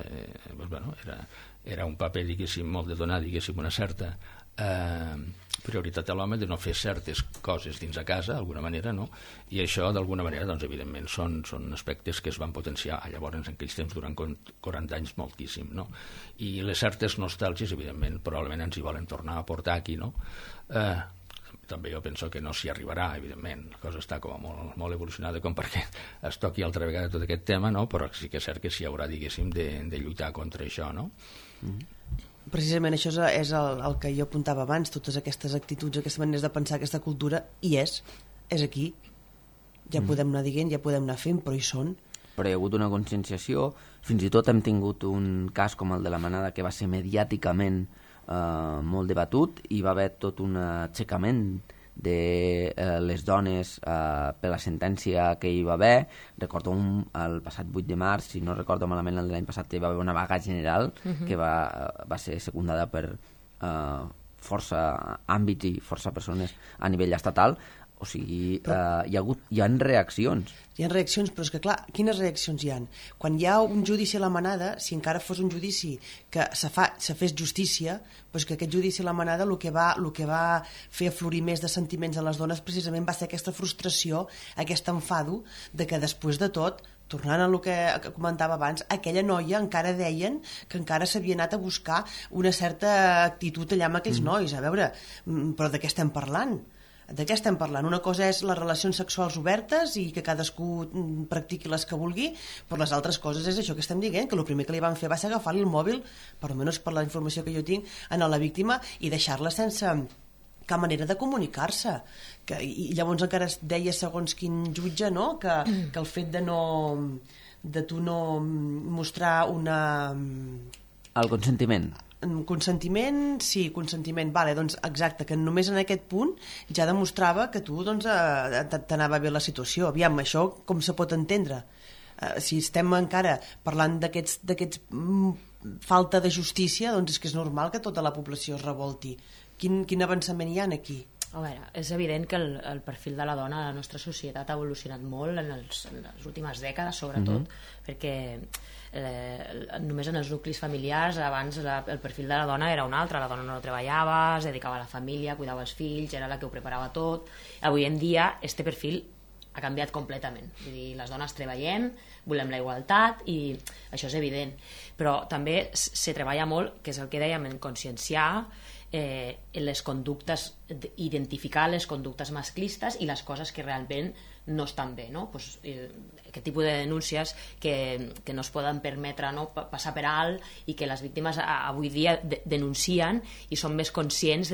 Era un paper, diguéssim, molt de donar, diguéssim, una certa prioritat a l'home de no fer certes coses dins a casa d'alguna manera, no? I això d'alguna manera, doncs, evidentment són aspectes que es van potenciar llavors en aquells temps durant 40 anys moltíssim, no? I les certes nostàlgies, evidentment, probablement ens hi volen tornar a portar aquí, no? També jo penso que no s'hi arribarà, evidentment, la cosa està com molt, molt evolucionada com perquè es toqui altra vegada tot aquest tema, no? Però sí que és cert que s'hi haurà, diguéssim, de lluitar contra això, no? Precisament això és el que jo apuntava abans, totes aquestes actituds, aquestes maneres de pensar, aquesta cultura, i és aquí. Ja podem anar dient, ja podem anar fent, però hi són. Però hi ha hagut una conscienciació, fins i tot hem tingut un cas com el de la manada que va ser mediàticament molt debatut i va haver tot un aixecament de les dones per la sentència que hi va haver. Recordo el passat 8 de març, si no recordo malament el de l'any passat, hi va haver una vaga general que va ser secundada per força àmbits i força persones a nivell estatal. O sigui, hi ha reaccions. Hi ha reaccions, però és que clar, quines reaccions hi ha? Quan hi ha un judici a la manada, si encara fos un judici que se fes justícia, doncs que aquest judici a la manada el que va fer aflorir més de sentiments a les dones precisament va ser aquesta frustració, aquest enfado de que després de tot, tornant a el que comentava abans, aquella noia encara deien que encara s'havia anat a buscar una certa actitud allà amb aquells nois. A veure, però de què estem parlant? De què estem parlant? Una cosa és les relacions sexuals obertes i que cadascú practiqui les que vulgui, però les altres coses és això que estem dient, que el primer que li van fer va ser agafar-li el mòbil, per almenys per la informació que jo tinc, a la víctima i deixar-la sense cap manera de comunicar-se. I llavors encara es deia, segons quin jutge, no? que el fet de tu no mostrar el consentiment. Consentiment, sí, consentiment, vale, doncs exacte, que només en aquest punt ja demostrava que tu doncs, t'anava bé la situació. Aviam, això com se pot entendre? Si estem encara parlant d'aquests falta de justícia, doncs és que és normal que tota la població es revolti. Quin avançament hi ha aquí? A veure, és evident que el perfil de la dona a la nostra societat ha evolucionat molt en les últimes dècades, sobretot, perquè només en els nuclis familiars abans el perfil de la dona era un altre. La dona no treballava, es dedicava a la família, cuidava els fills, era la que ho preparava tot. Avui en dia este perfil ha canviat completament. Vull dir, les dones treballem, volem la igualtat i això és evident, però també se treballa molt, que és el que dèiem, en conscienciar les conductes, identificar les conductes masclistes i les coses que realment no estan bé, no? Pues, aquest tipus de denúncies que no es poden permetre, no? Passar per alt, i que les víctimes avui dia denuncien i són més conscients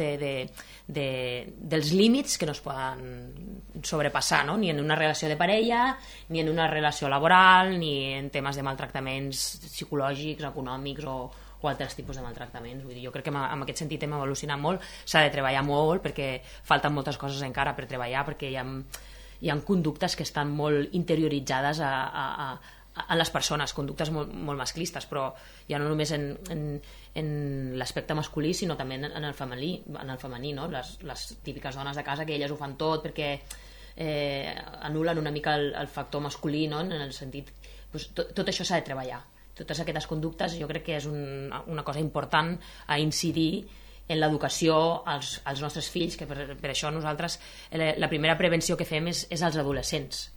dels límits que no es poden sobrepassar, no? Ni en una relació de parella, ni en una relació laboral, ni en temes de maltractaments psicològics, econòmics o altres tipus de maltractaments. Vull dir, jo crec que en aquest sentit hem evolucionat molt, s'ha de treballar molt perquè falten moltes coses encara per treballar, perquè hi ha conductes que estan molt interioritzades a les persones, conductes molt masclistes, però ja no només en l'aspecte masculí, sinó també en el femení, no? Les típiques dones de casa que elles ho fan tot perquè anulen una mica el factor masculí, no? En el sentit, doncs, tot això s'ha de treballar. Totes aquestes conductes jo crec que és una cosa important a incidir en l'educació als nostres fills, que per això nosaltres la primera prevenció que fem és als adolescents,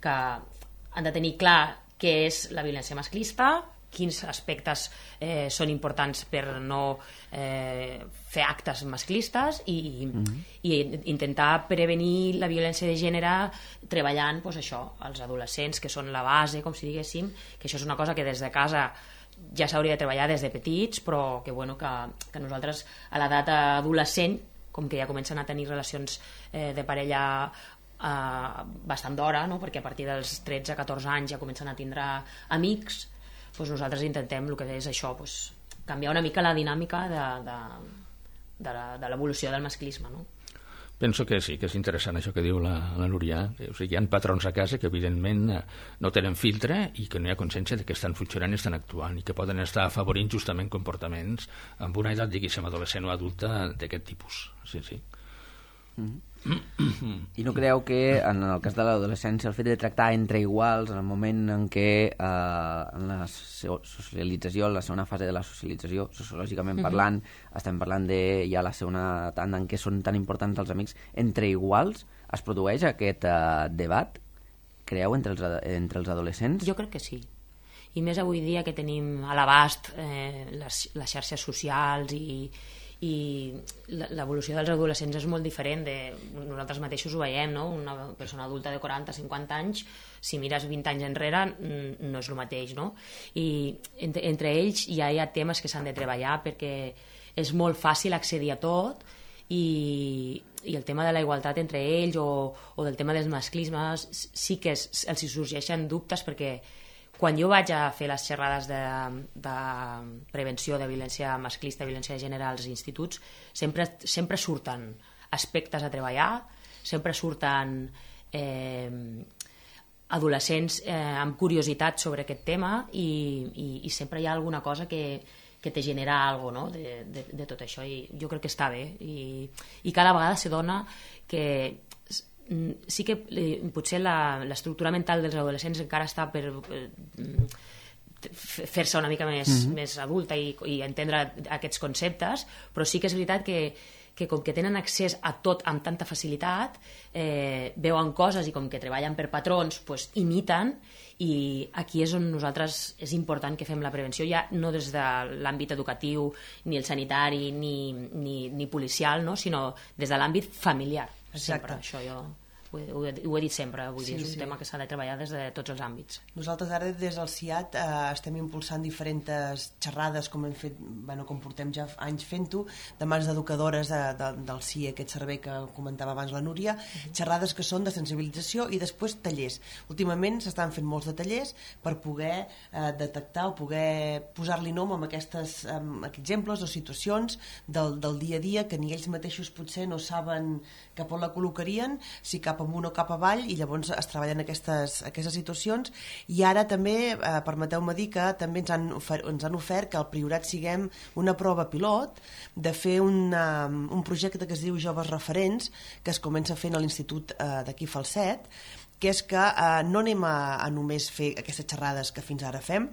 que han de tenir clar què és la violència masclista, quins aspectes són importants per no fer actes masclistes i intentar prevenir la violència de gènere treballant, doncs, això, als adolescents, que són la base, com si diguéssim, que això és una cosa que des de casa ja s'hauria de treballar des de petits, però que nosaltres a l'edat adolescent, com que ja comencen a tenir relacions de parella bastant d'hora, no? Perquè a partir dels 13-14 anys ja comencen a tindre amics, doncs nosaltres intentem el que és això, doncs, canviar una mica la dinàmica de l'evolució del masclisme, no? Penso que sí, que és interessant això que diu la Núria. O sigui, hi ha patrons a casa que evidentment no tenen filtre i que no hi ha consciència de que estan funcionant i estan actuant i que poden estar afavorint justament comportaments amb una edat, diguéssim, adolescent o adulta d'aquest tipus. Sí, sí. I no creieu que en el cas de l'adolescència el fet de tractar entre iguals en el moment en què en la socialització, en la segona fase de la socialització, sociològicament parlant, estem parlant de ja la segona tanda en què són tan importants els amics, entre iguals es produeix aquest debat, creieu, entre els adolescents? Jo crec que sí. I més avui dia que tenim a l'abast les xarxes socials i l'evolució dels adolescents és molt diferent nosaltres mateixos ho veiem, no? Una persona adulta de 40-50 anys, si mires 20 anys enrere no és el mateix, no? I entre ells ja hi ha temes que s'han de treballar perquè és molt fàcil accedir a tot i el tema de la igualtat entre ells o del tema dels masclismes sí que els hi sorgeixen dubtes perquè quan jo vaig a fer les xerrades de prevenció de violència masclista, violència de gènere als instituts, sempre surten aspectes a treballar, sempre surten adolescents amb curiositat sobre aquest tema i sempre hi ha alguna cosa que te genera alguna cosa, no? de tot això, i jo crec que està bé i cada vegada se dona que sí que potser l'estructura mental dels adolescents encara està per fer-se una mica més adulta i entendre aquests conceptes, però sí que és veritat que com que tenen accés a tot amb tanta facilitat, veuen coses i com que treballen per patrons, pues, imiten, i aquí és on nosaltres és important que fem la prevenció, ja no des de l'àmbit educatiu, ni el sanitari, ni policial, no? Sinó des de l'àmbit familiar. Sempre, això jo ho he dit sempre, vull dir, és un tema que s'ha de treballar des de tots els àmbits. Nosaltres ara des del CIAT estem impulsant diferents xerrades com hem fet, com portem ja anys fent-ho, de mans d'educadores del CIE, aquest servei que comentava abans la Núria, xerrades que són de sensibilització i després tallers. Últimament s'estan fent molts de tallers per poder detectar o poder posar-li nom amb aquests exemples o situacions del dia a dia que ni ells mateixos potser no saben cap on la col·locarien, si cap amunt o cap avall, i llavors es treballen aquestes situacions. I ara també, permeteu-me dir que també ens han ofert que al Priorat siguem una prova pilot de fer un projecte que es diu Joves Referents, que es comença fent a l'Institut d'aquí Falset, que és que no anem a només fer aquestes xerrades que fins ara fem,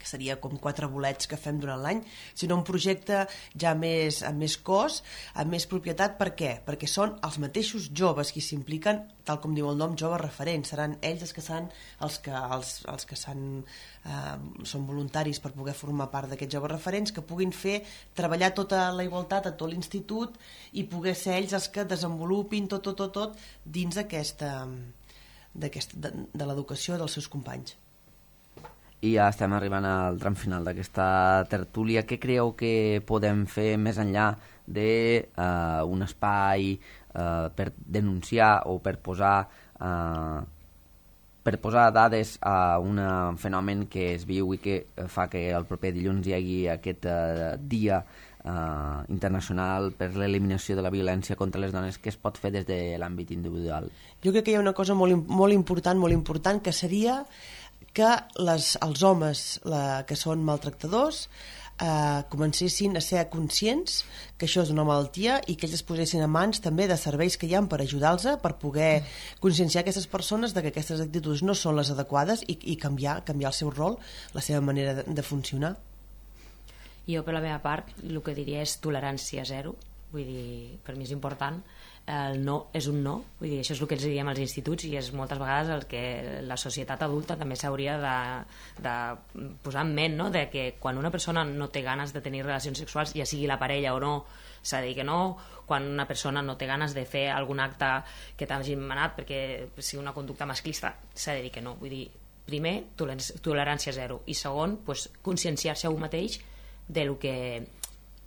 que seria com 4 bolets que fem durant l'any, sinó un projecte ja amb més cos, amb més propietat. Per què? Perquè són els mateixos joves qui s'impliquen, tal com diu el nom, joves referents. Seran ells els que són voluntaris per poder formar part d'aquests joves referents, que puguin treballar tota la igualtat a tot l'institut i poder ser ells els que desenvolupin tot dins de l'educació dels seus companys. I ja estem arribant al tram final d'aquesta tertúlia. Què creieu que podem fer més enllà d'un espai per denunciar o per posar dades a un fenomen que es viu i que fa que el proper dilluns hi hagi aquest dia internacional per l'eliminació de la violència contra les dones? Què es pot fer des de l'àmbit individual? Jo crec que hi ha una cosa molt important, que seria que els homes que són maltractadors comencessin a ser conscients que això és una malaltia i que ells es posessin a mans també de serveis que hi ha per ajudar-los, per poder conscienciar aquestes persones de que aquestes actituds no són les adequades i canviar el seu rol, la seva manera de funcionar. Jo, per la meva part, el que diria és tolerància zero. Vull dir, per mi és important. El no és un no, vull dir, això és el que ens diem als instituts i és moltes vegades el que la societat adulta també s'hauria de posar en ment, no? De que quan una persona no té ganes de tenir relacions sexuals, ja sigui la parella o no, s'ha de dir que no. Quan una persona no té ganes de fer algun acte que t'hagin manat perquè sigui una conducta masclista, s'ha de dir que no. Vull dir, primer, tolerància zero, i segon, conscienciar-se a un mateix de lo que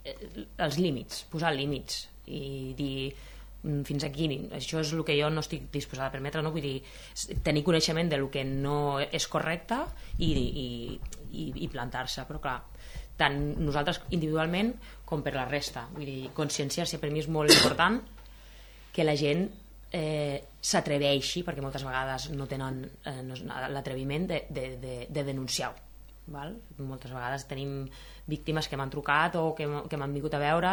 els límits, posar límits i dir fins aquí, això és el que jo no estic disposada a permetre, no? Vull dir, tenir coneixement de lo que no és correcte i plantar-se, però clar, tant nosaltres individualment com per la resta, vull dir, conscienciar-se per mi és molt important, que la gent s'atreveixi, perquè moltes vegades no tenen l'atreviment de denunciar-ho. Moltes vegades tenim víctimes que m'han trucat o que m'han vingut a veure,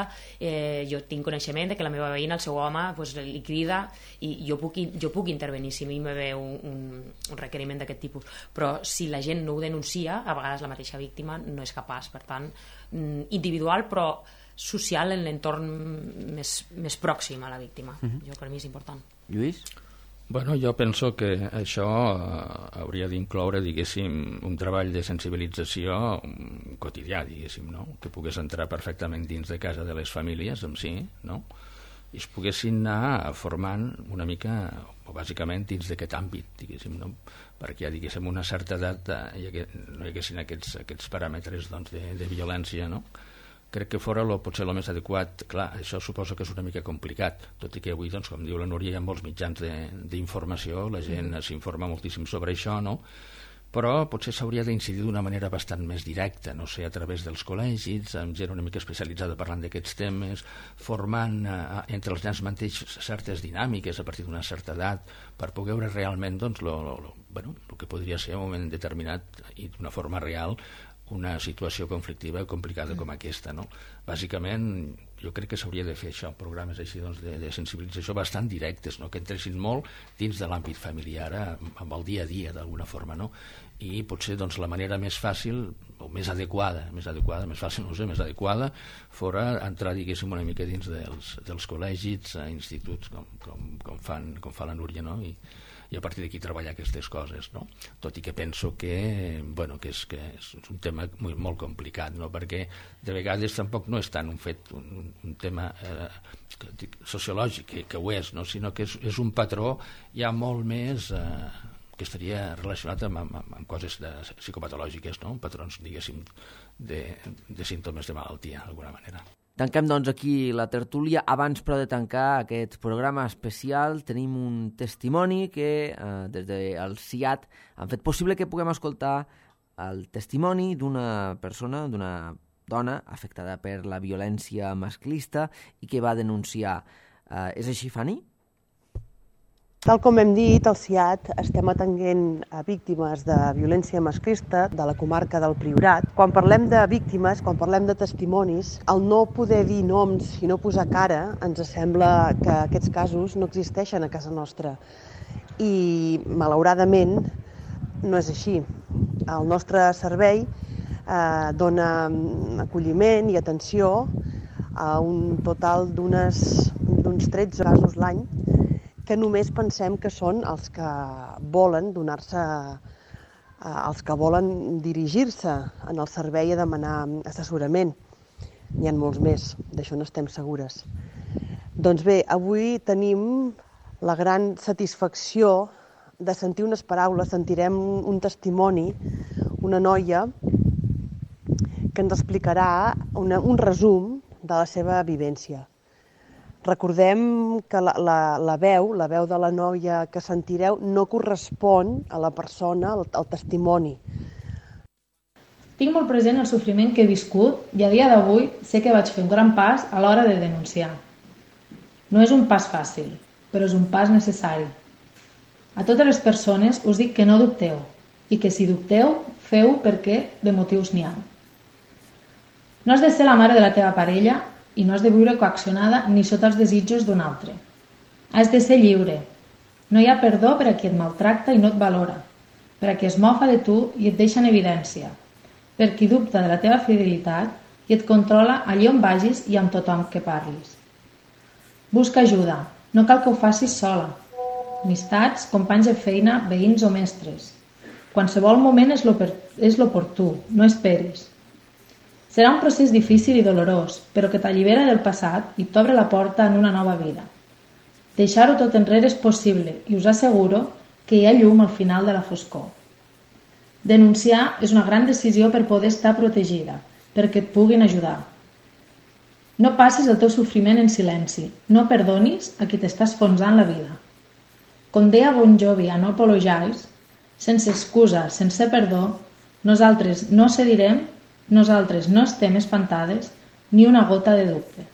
jo tinc coneixement de que la meva veïna, el seu home, li crida i jo puc intervenir si a mi me ve un requeriment d'aquest tipus, però si la gent no ho denuncia, a vegades la mateixa víctima no és capaç. Per tant, individual però social en l'entorn més pròxim a la víctima. Per mi és important. Lluís? Bueno, jo penso que això hauria d'incloure, diguéssim, un treball de sensibilització quotidià, diguéssim, no? Que pogués entrar perfectament dins de casa de les famílies en si, no? I es poguessin anar formant una mica, o bàsicament, dins d'aquest àmbit, diguéssim, no? Perquè ja, diguéssim, una certa edat no hi haguessin aquests paràmetres de violència, no? Crec que fora potser el més adequat. Clar, això suposo que és una mica complicat, tot i que avui, doncs, com diu la Núria, hi ha molts mitjans d'informació, la gent s'informa moltíssim sobre això, no? Però potser s'hauria d'incidir d'una manera bastant més directa, no sé, a través dels col·legis, amb gent una mica especialitzada parlant d'aquests temes, formant entre els nens mateixos certes dinàmiques a partir d'una certa edat, per poder veure realment doncs, el que podria ser en un moment determinat i d'una forma real una situació conflictiva complicada com aquesta, no? Bàsicament, jo crec que s'hauria de fer això, programes així de sensibilització bastant directes, no? Que entressin molt dins de l'àmbit familiar, amb el dia a dia, d'alguna forma, no? I potser doncs, la manera més fàcil, o més adequada, més fàcil, no sé, més adequada, fora entrar, diguéssim, una mica dins dels col·legis, instituts, com fa la Núria, no? I a partir d'aquí treballar aquestes coses, no? Tot i que penso que és un tema molt complicat, no? Perquè de vegades tampoc no és tant un fet, un tema sociològic, que ho és, no? Sinó que és un patró ja molt més que estaria relacionat amb coses psicopatològiques, no? Patrons, diguéssim, de símptomes de malaltia, d'alguna manera. Tanquem, doncs, aquí la tertúlia. Abans, però, de tancar aquest programa especial, tenim un testimoni que des del CIAT han fet possible que puguem escoltar el testimoni d'una persona, d'una dona afectada per la violència masclista i que va denunciar. És així, Fanny? Tal com hem dit, al CIAT estem atenent a víctimes de violència masclista de la comarca del Priorat. Quan parlem de víctimes, quan parlem de testimonis, el no poder dir noms i no posar cara ens sembla que aquests casos no existeixen a casa nostra. I, malauradament, no és així. El nostre servei dona acolliment i atenció a un total d'uns 13 casos l'any, que només pensem que són els que volen donar-se, els que volen dirigir-se en el servei a demanar assessorament. N'hi ha molts més, d'això no estem segures. Doncs bé, avui tenim la gran satisfacció de sentir unes paraules, sentirem un testimoni, una noia que ens explicarà un resum de la seva vivència. Recordem que la veu de la noia que sentireu no correspon a la persona, al testimoni. Tinc molt present el sofriment que he viscut i a dia d'avui sé que vaig fer un gran pas a l'hora de denunciar. No és un pas fàcil, però és un pas necessari. A totes les persones us dic que no dubteu i que si dubteu, feu perquè de motius n'hi ha. No has de ser la mare de la teva parella i no has de viure coaccionada ni sota els desitjos d'un altre. Has de ser lliure. No hi ha perdó per a qui et maltracta i no et valora, per a qui es mofa de tu i et deixa en evidència, per qui dubta de la teva fidelitat i et controla allí on vagis i amb tothom que parlis. Busca ajuda. No cal que ho facis sola. Amistats, companys de feina, veïns o mestres. Qualsevol moment és l'oportú, no esperis. Serà un procés difícil i dolorós, però que t'allibera del passat i t'obre la porta en una nova vida. Deixar-ho tot enrere és possible i us asseguro que hi ha llum al final de la foscor. Denunciar és una gran decisió per poder estar protegida, perquè et puguin ajudar. No passis el teu sofriment en silenci, no perdonis a qui t'està esfonsant la vida. Com deia Bon Jovi a No Apologize, sense excusa, sense perdó, nosaltres no cedirem, nosaltres no estem espantades ni una gota de dubte.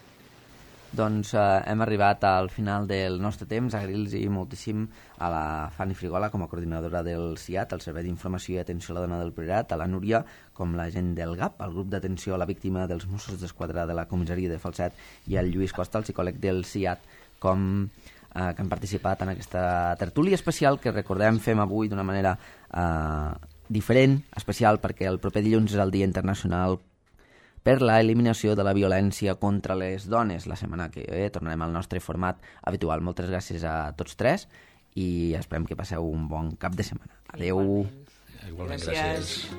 Doncs hem arribat al final del nostre temps. Agrair-los moltíssim a la Fanny Frigola com a coordinadora del CIAT, el Servei d'Informació i Atenció a la Dona del Priorat, a la Núria com l'agent del GAP, el grup d'atenció a la víctima dels Mossos d'Esquadra de la comissaria de Falset, i el Lluís Costa, el psicòleg del CIAT, que han participat en aquesta tertúlia especial que recordem fem avui d'una manera diferent, especial, perquè el proper dilluns és el Dia Internacional per la eliminació de la violència contra les dones. La setmana que ve tornarem al nostre format habitual. Moltes gràcies a tots tres i esperem que passeu un bon cap de setmana. Adeu. Igualment, gràcies.